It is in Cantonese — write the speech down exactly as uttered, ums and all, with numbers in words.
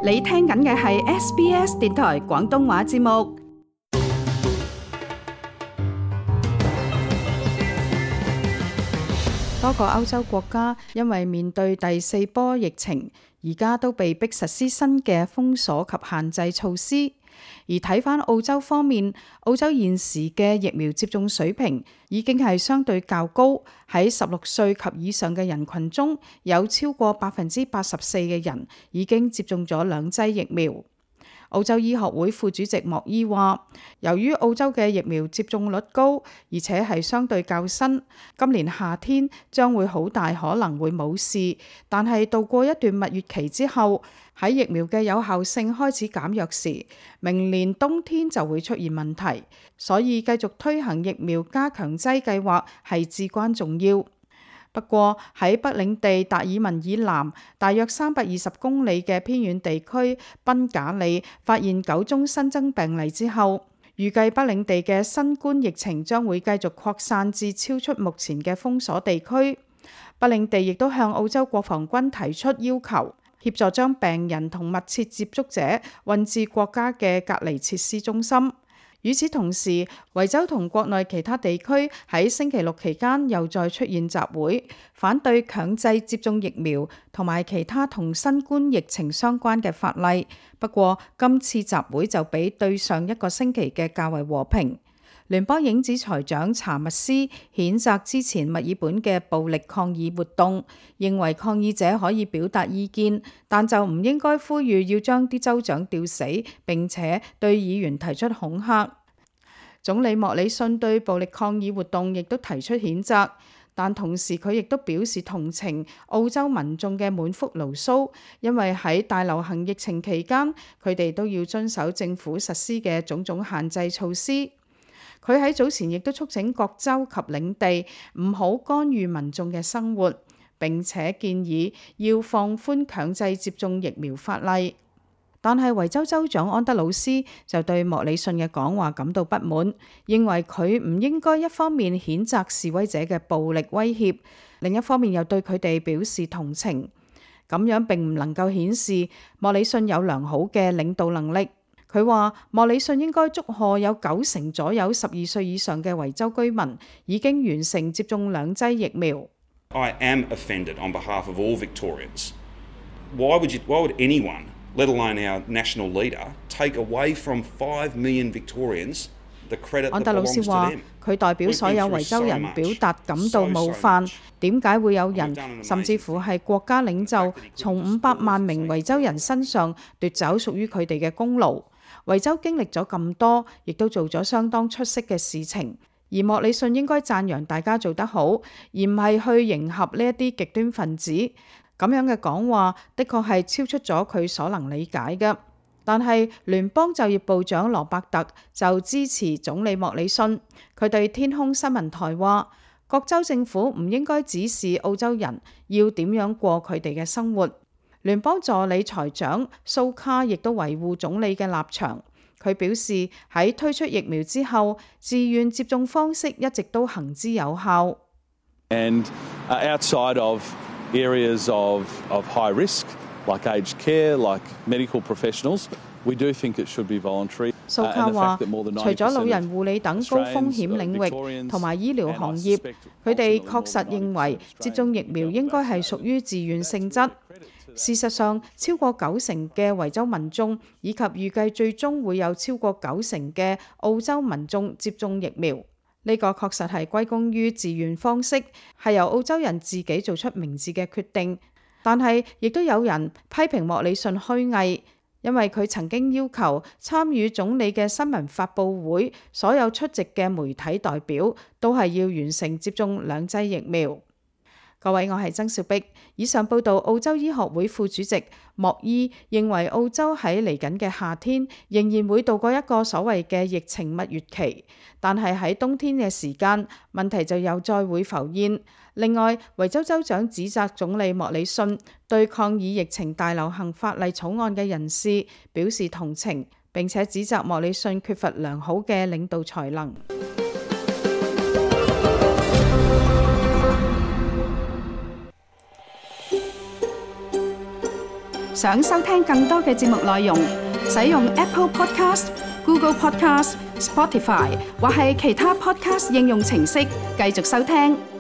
你聽緊嘅係 S B S 電台廣東話節目。多個歐洲國家因為面對第四波疫情，而家都被迫實施新嘅封鎖及限制措施。而睇返澳洲方面，澳洲現時嘅疫苗接種水平已經係相對較高，喺十六歲及以上嘅人群中，有超過百分之八十四嘅人已經接種咗兩劑疫苗。澳洲醫學會副主席莫伊話，由於澳洲嘅疫苗接種率高，而且係相對較新，今年夏天將會好大可能會冇事，但係度過一段蜜月期之後，喺疫苗嘅有效性開始減弱時，明年冬天就會出現問題，所以繼續推行疫苗加強劑計劃係至關重要。不過喺北領地達爾文以南大約三百二十公里嘅偏遠地區賓賈里發現九宗新增病例之後，預計北領地嘅新冠疫情將會繼續擴散至超出目前嘅封鎖地區。北領地亦都向澳洲國防軍提出要求，協助將病人同密切接觸者運至國家嘅隔離設施中心。與此同時，維州同國內其他地區喺星期六期間又再出現集會，反對強制接種疫苗同埋其他同新冠疫情相關嘅法例。不過今次集會就比對上一個星期嘅較為和平。聯邦影子財長查密斯譴責之前墨爾本嘅暴力抗議活動，認為抗議者可以表達意見，但就唔應該呼籲要將啲州長吊死，並且對議員提出恐嚇。總理莫里遜對暴力抗議活動亦都提出譴責，但同時佢亦都表示同情澳洲民眾嘅滿腹牢騷，因為喺大流行疫情期間，佢哋都要遵守政府實施嘅種種限制措施。佢喺早前亦都促請各州及領地唔好干預民眾嘅生活，並且建議要放寬強制接種疫苗法例。但係維州州長安德魯斯就對莫里遜嘅講話感到不滿，認為佢唔應該一方面譴責示威者嘅暴力威脅，另一方面又對佢哋表示同情。咁樣並唔能夠顯示莫里遜有良好嘅領導能力。佢話莫里遜應該祝賀有九成左右十二歲以上嘅維州居民已經完成接種兩劑疫苗。I am offended on behalf of all Victorians. Why would you, why would anyone, let alone our national leader, take away from five million Victorians the credit that belongs to them? 安德魯斯話佢代表所有維州人表達感到冒犯，點解會有人甚至乎係國家領袖從五百萬名維州人身上奪走屬於佢哋嘅功勞？維州經歷咗咁多，亦都做咗相當出色嘅事情，而莫里遜應該讚揚大家做得好，而唔係去迎合呢一啲極端分子。咁樣嘅講話，的確係超出咗佢所能理解嘅。但係聯邦就業部長羅伯特就支持總理莫里遜，佢對天空新聞台話：各州政府唔應該指示澳洲人要點樣過佢哋嘅生活。聯邦助理財長蘇卡亦都維護總理嘅立場，佢表示喺推出疫苗之後，自願接種方式一直都行之有效。And outside of areas of of high risk, like aged care, like medical professionals, we do think it should be voluntary. 蘇卡話，除咗老人護理等高風險領域同埋醫療行業，佢哋確實認為接種疫苗應該係屬於自願性質。事實上，超過九成嘅維州民眾以及預計最終會有超過九成嘅澳洲民眾接種疫苗，呢個確實係歸功於自願方式，係由澳洲人自己做出明智嘅決定。但係亦都有人批評莫里遜虛偽，因為佢曾經要求參與總理嘅新聞發佈會，所有出席嘅媒體代表都係要完成接種兩劑疫苗。各位，我係曾兆碧。以上報道，澳洲醫學會副主席莫伊認為澳洲喺嚟緊嘅夏天仍然會度過一個所謂嘅疫情蜜月期，但係喺冬天嘅時間，問題就又再會浮現。另外，維州州長指責總理莫里遜對抗議疫情大流行法例草案嘅人士表示同情，並且指責莫里遜缺乏良好嘅領導才能。想收聽更多嘅節目內容，使用 Apple Podcast、Google Podcast、Spotify 或係其他 Podcast 應用程式繼續收聽。